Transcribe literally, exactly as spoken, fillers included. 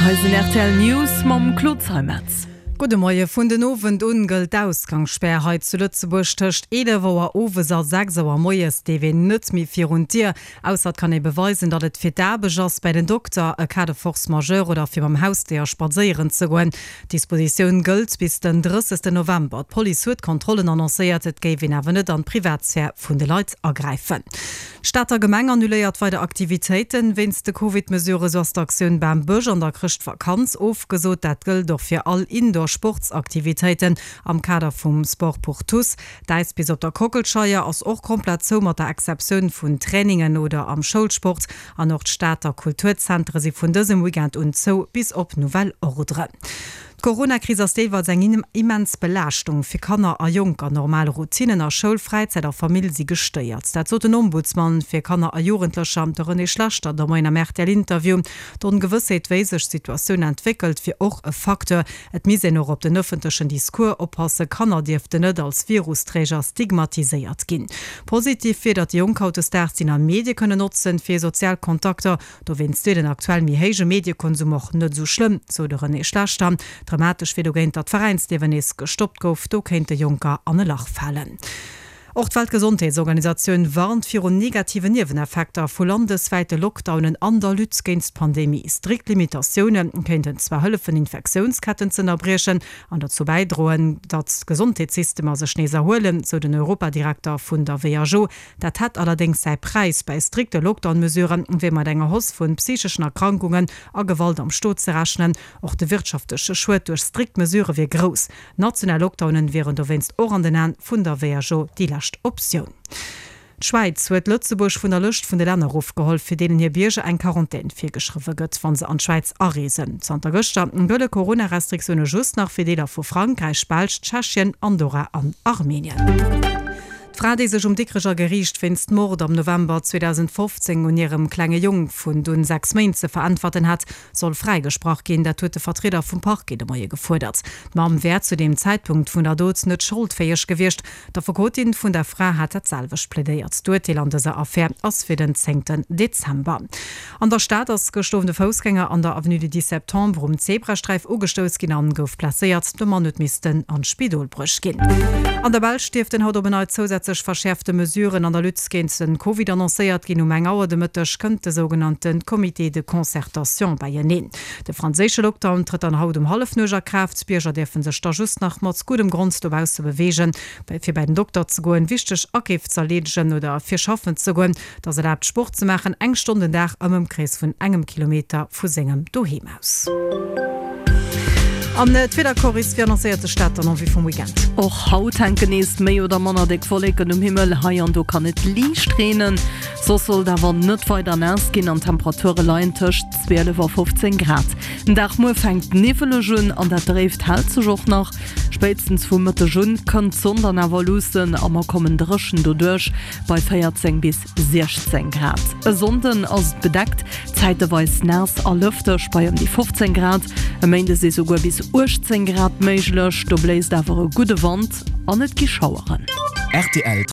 Hei sinn rtl News mam Claude Zeimetz. Gudde Moie, Vun den Owend un gëllt d'Ausgangsspär hei zu Lëtzebuerg. Tëscht eelef Auer owes a sechs Auer moies dierf een net méi virun d'Dier, ausser et kann ee beweisen, datt et fir d'Aarbecht ass, bäi den Dokter, e Cas de force majeure oder fir mam Hausdéier spadséieren ze goen. D'Dispositioun gëllt bis den drëssegsten November. D'Police huet Kontrollen annoncéiert, et géif een awer net an d'Privatsphär vun de Leit agräifen. D'Stater Gemeng annuléiert weider Aktivitéiten wéinst de Covid-Mesuren. Sou ass d'Aktioun Bam Bësch an der Chrëschtvakanz ofgesot. Dat gëllt och fir all Indoor-Sportsaktivitéiten am Kader vum Sport pour tous. D'Äispist op der Kockelscheier ass och komplett zou, mat der Exceptioun vun Trainingen oder am Schoulsport. An och d'Stater Kulturzentere si vun dësem Weekend un zou, bis op nouvelle ordre. D'Coronakris ass deelweis eng immens Belaaschtung fir Kanner a Jonker. Normal Routinnen a Schoul, Fräizäit a Famill si gestéiert. Dat sot den Ombudsman fir Kanner a Jugendlecher, de René Schlechter, de Moien am RTL-Interview. D'Ongewëssheet, wéi sech d'Situatioun entwéckelt, wier och e Facteur. Et misst een och op den ëffentlechen Discours oppassen, Kanner dierften net als Virusträger stigmatiséiert ginn. Positiv wier, datt déi Jonk hautdesdaags déi nei Medie kënnen notzen, fir sozial Kontakter. Dowéinst wier den aktuell méi héije Mediekonsum och net esou schlëmm, sou de René Schlechter. Dramatesch wier dogéint, datt d'Veräinsliewen nees gestoppt gouf, do kéinte Jonker an e Lach falen. Och d'Weltgesondheetsorganisatioun warnt virun negativen Nieweneffekter vu landeswäite Lockdownen an der Lutte géint d'Pandemie. Strikt Limitatioune kéinten zwar hëllefen, Infektiounsketten z'ënnerbriechen an dozou bäidroen, datt d'Gesondheetssystemer sech nees erhuelen, sou den Europadirekter vun der who. Dat hätt allerdéngs säi Präis, Bäi strikte Lockdown-Mesurë wier mat enger Hausse vu psycheschen Erkrankungen a Gewalt am Stot ze rechnen. Och de wirtschaftleche Schued duerch strikt Mesurë wier grouss. National Lockdownen wieren dowéinst och an den Aen vun der who déi lescht Optioun. D'Schwäiz huet Lëtzebuerg vun der Lëscht vun de Länner erofgeholl, fir deenen hir Bierger eng Quarantän virgeschriwwe gëtt, wa se an d'Schwäiz areesen. Zanter gëschter gëlle Corona-Restriktioune just nach fir Deeler vu Frankräich, Belsch, Tschechien, Andorra an Armenien. D'Fra, déi sech um Dikrecher Geriicht wéinst Mord am November zweedausendfofzéng un hirem klenge Jong vun dunn sechs Méint ze veräntwerten hat, soll fräigesprach ginn. Dat huet de Vertrieder vum Parquet de Moie gefuerdert. D'Mamm wär zu deem Zäitpunkt vun der Dot net scholdfäeg gewiescht. D'Affekotin vun der Fra hat dat selwecht plädéiert. D'Urteel an dëser Affär ass fir den zéngten Dezember. An der Stad ass gëscht Owend e Foussgänger an der Avenue du dix septembre um Zebrasträif ugestouss ginn an gouf blesséiert. De Mann huet missten an d'Spidol bruecht ginn. An der Belsch dierften haut op en Neits zousätzlech verschäerfte Mesuren an der Lutte géint den Covid annoncéiert ginn. Um eng Auer de Mëtteg kënnt de sougenannte Comité de concertation beieneen. De franséische Lockdown trëtt dann haut um Hallefnuecht a Kraaft. D'Bierger dierfe sech da just nach mat guddem Grond dobausse beweegen, fir bäi den Dokter ze goen, wichteg Akeef z'erleedegen oder fir schaffen ze goen. Et ass erlaabt Sport ze maachen, eng Stonn den Dag am Ëmkrees vun engem Kilometer vu sengem Doheem aus. An d'Wiedercoris, wéi annoncéiert sech dat dann en vue vum Weekend? Och haut hänken nees méi oder manner déck Wolleken um Himmel, hei an do kann et liicht reenen. Soss soll et awer net weider naass ginn an d'Temperature leien tëscht zwielef a fofzéng Grad. Den Dag muer fänkt niwweleg un an dat Dréift hält sech och nach. Spéitstens vum Mëtteg un kënnt d'Sonn dann awer luussen a mer kommen dréchen doduerch bei véierzéng bis siechzéng Grad. E Sonnden ass et bedeckt, zäiteweis naass a lëfteg bei ëm déi fofzéng Grad. E Méinde si souguer bis uechtzéng Grad méiglech, do bléist awer e gudde Wand an et gi Schaueren. Rtl.